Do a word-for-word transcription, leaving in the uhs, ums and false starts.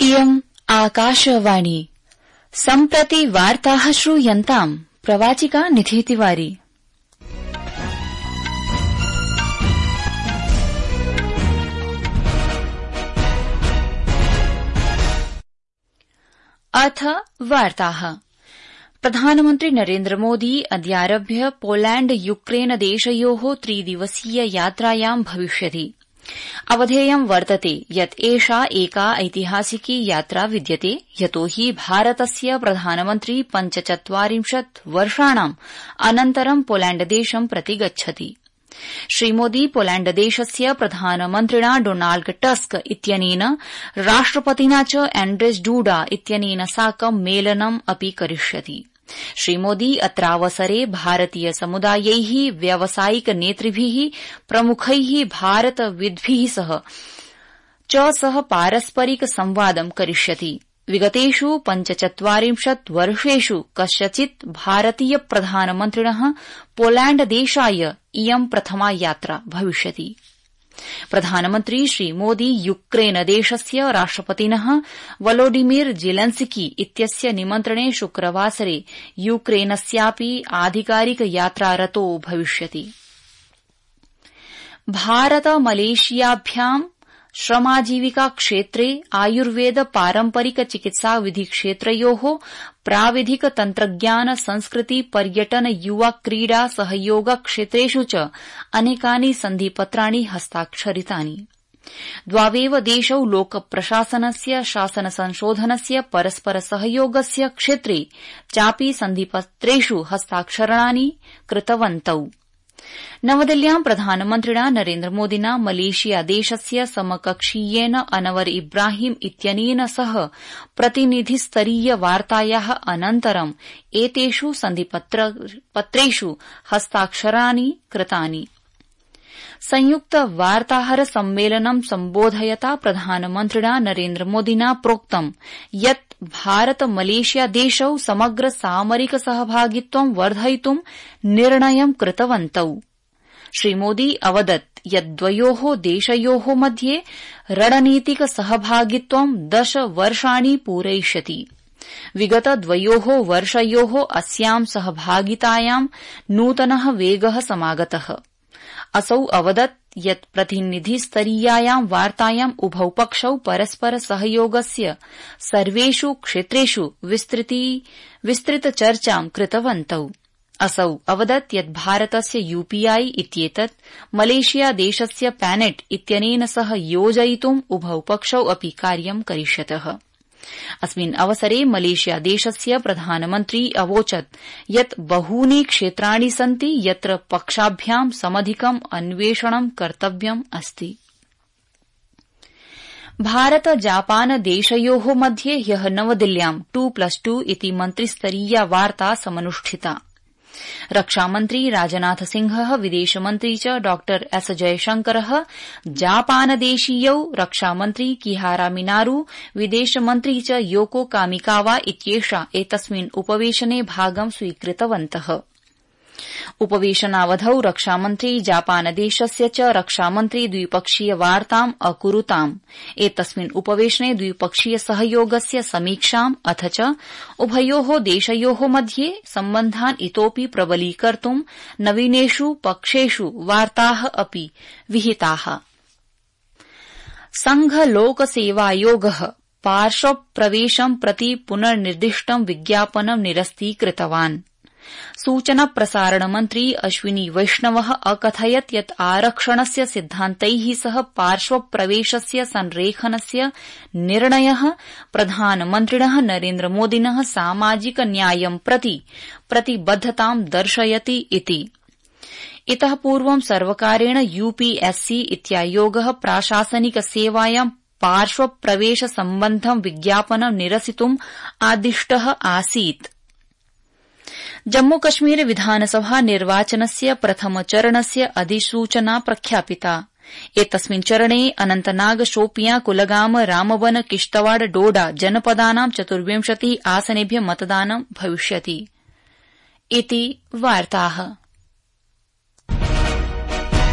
इयम् आकाशवाणी सम्प्रति वार्ताः श्रूयन्ताम् प्रवाचिका निधि तिवारी। अथ वार्ताः। प्रधानमन्त्री नरेन्द्र मोदी अद्यारभ्य पोलैंड यूक्रेन देशयोः त्रिदिवसीय यात्रायां भविष्यति। अवधेयं वर्तते यत् एषा एका ऐतिहासिकी यात्रा विद्यते यतो हि भारतस्य प्रधानमन्त्री पञ्चचत्वारिंशत् वर्षाणाम् अनन्तरं पोलैंडदेशं प्रति गच्छति। श्रीमोदी पोलैंडदेशस्य प्रधानमन्त्रिणा डोनाल्ड टस्क इत्यनेन राष्ट्रपतिना च एण्ड्रेस् डूडा इत्यनेन साकं मेलनम् अपि करिष्यति। श्रीमोदी अत्रावसरे भारतीय समुदायैः व्यावसायिक नेतृभिः प्रमुखैः भारतविद्भिः सह च सह पारस्परिक संवादं करिष्यति। विगतेषु पञ्चचत्वारिंशत् वर्षेषु कस्यचित् भारतीय प्रधानमन्त्रिणः पोलैंडदेशाय इयं प्रथमा यात्रा भविष्यति। प्रधानमन्त्री श्रीमोदी यूक्रेनदेशस्य राष्ट्रपतिनः वोलोडिमिर जेलेन्स्की इत्यस्य निमन्त्रणे शुक्रवासरे यूक्रेनस्यापि आधिकारिक यात्रारतो भविष्यति। भारत मलेशियाभ्यां श्रमाजीविका क्षेत्रे आयुर्वेद पारम्परिक चिकित्सा विधि क्षेत्रयोः प्राविधिक तन्त्रज्ञान संस्कृति पर्यटन युवा क्रीडा सहयोग क्षेत्रेषु च अनेकानि सन्धिपत्राणि हस्ताक्षरितानि। द्वावेव देशौ लोकप्रशासनस्य शासन संशोधनस्य परस्पर सहयोगस्य क्षेत्रे चापि सन्धिपत्रेषु हस्ताक्षरणानि कृतवन्तौ। नवदिल्ल्यां प्रधानमन्त्रिणा नरेन्द्र मोदिना मलेशिया देशस्य समकक्षीयेन अनवर इब्राहिम इत्यनेन सह प्रतिनिधिस्तरीय वार्तायाः अनन्तरं एतेषु सन्धिपत्रेषु हस्ताक्षराणि कृतानि। संयुक्त वार्ताहर सम्मेलनं सम्बोधयता प्रधानमन्त्रिणा नरेन्द्र मोदिना प्रोक्तं यत् भारत मलेशिया देशौ समग्र सामरिक सहभागित्वं वर्धयितुं निर्णयं कृतवन्तौ। श्रीमोदी अवदत् यत् द्वयोः देशयोः मध्ये रणनीतिक सहभागित्वं दश वर्षाणि पूरयिष्यति। विगत द्वयोः वर्षयोः अस्यां सहभागितायां नूतनः वेगः समागतः। असौ अवदत् यत् प्रतिनिधिस्तरीयायां वार्तायां उभौ पक्षौ परस्पर सहयोगस्य सर्वेषु क्षेत्रेषु विस्तृत चर्चां कृतवन्तौ। असौ अवदत् यत् भारतस्य यूपीआई इत्येतत् मलेशिया देशस्य पैनेट इत्यनेन सह योजयितुं उभौ पक्षौ अपि कार्यं करिष्यतः। अस्मिन् अवसरे मलेशिया देशस्य प्रधानमन्त्री अवोचत् यत् बहूनि क्षेत्राणि सन्ति यत्र पक्षाभ्यां समधिकम् अन्वेषणं कर्तव्यम् अस्ति। भारत जापान देशयोः मध्ये ह्यः नवदिल्ल्यां टू प्लस टू इति मन्त्रिस्तरीया वार्ता समनुष्ठिता। रक्षामन्त्री राजनाथ सिंहः विदेशमन्त्री च डॉ एस जयशंकरः जापानदेशीयौ रक्षामन्त्री किहारा मिनारू विदेशमन्त्री च योको कामिकावा इत्येषा एतस्मिन् उपवेशने भागं स्वीकृतवन्तः। उपवेशनावधौ रक्षामन्त्री जापानदेशस्य च रक्षामन्त्री द्विपक्षीय वार्ताम् अकुरुताम्। एतस्मिन् उपवेशने द्विपक्षीय सहयोगस्य समीक्षाम् अथ च उभयोः देशयोः मध्ये सम्बन्धान् इतोऽपि प्रबलीकर्तुं नवीनेषु पक्षेषु वार्ताः अपि विहिताः। संघ लोक सेवायोगः पार्श्वप्रवेशं प्रति पुनर्निर्दिष्टं विज्ञापनं निरस्तीकृतवान्। सूचना प्रसारण मन्त्री अश्विनी वैष्णवः अकथयत् यत् आरक्षणस्य सिद्धान्तैः सह पार्श्वप्रवेशस्य संरेखनस्य निर्णयः प्रधानमन्त्रिणः नरेन्द्र मोदिनः सामाजिक न्यायं प्रति प्रतिबद्धतां दर्शयति इति। इतः पूर्वं सर्वकारेण यूपीएससी इत्यायोगः प्राशासनिक सेवायां पार्श्वप्रवेश सम्बद्धं विज्ञापनं निरसितुम् आदिष्टः आसीत्। जम्मूकश्मीर विधानसभा निर्वाचनस्य प्रथमचरणस्य अधिसूचना प्रख्यापिता। एतस्मिन् चरणे अनन्तनाग शोपियां कुलगाम रामबन किश्तवाड़ डोडा जनपदानां चतुर्विंशतिः आसनेभ्यः मतदानं भविष्यति इति वार्ताः।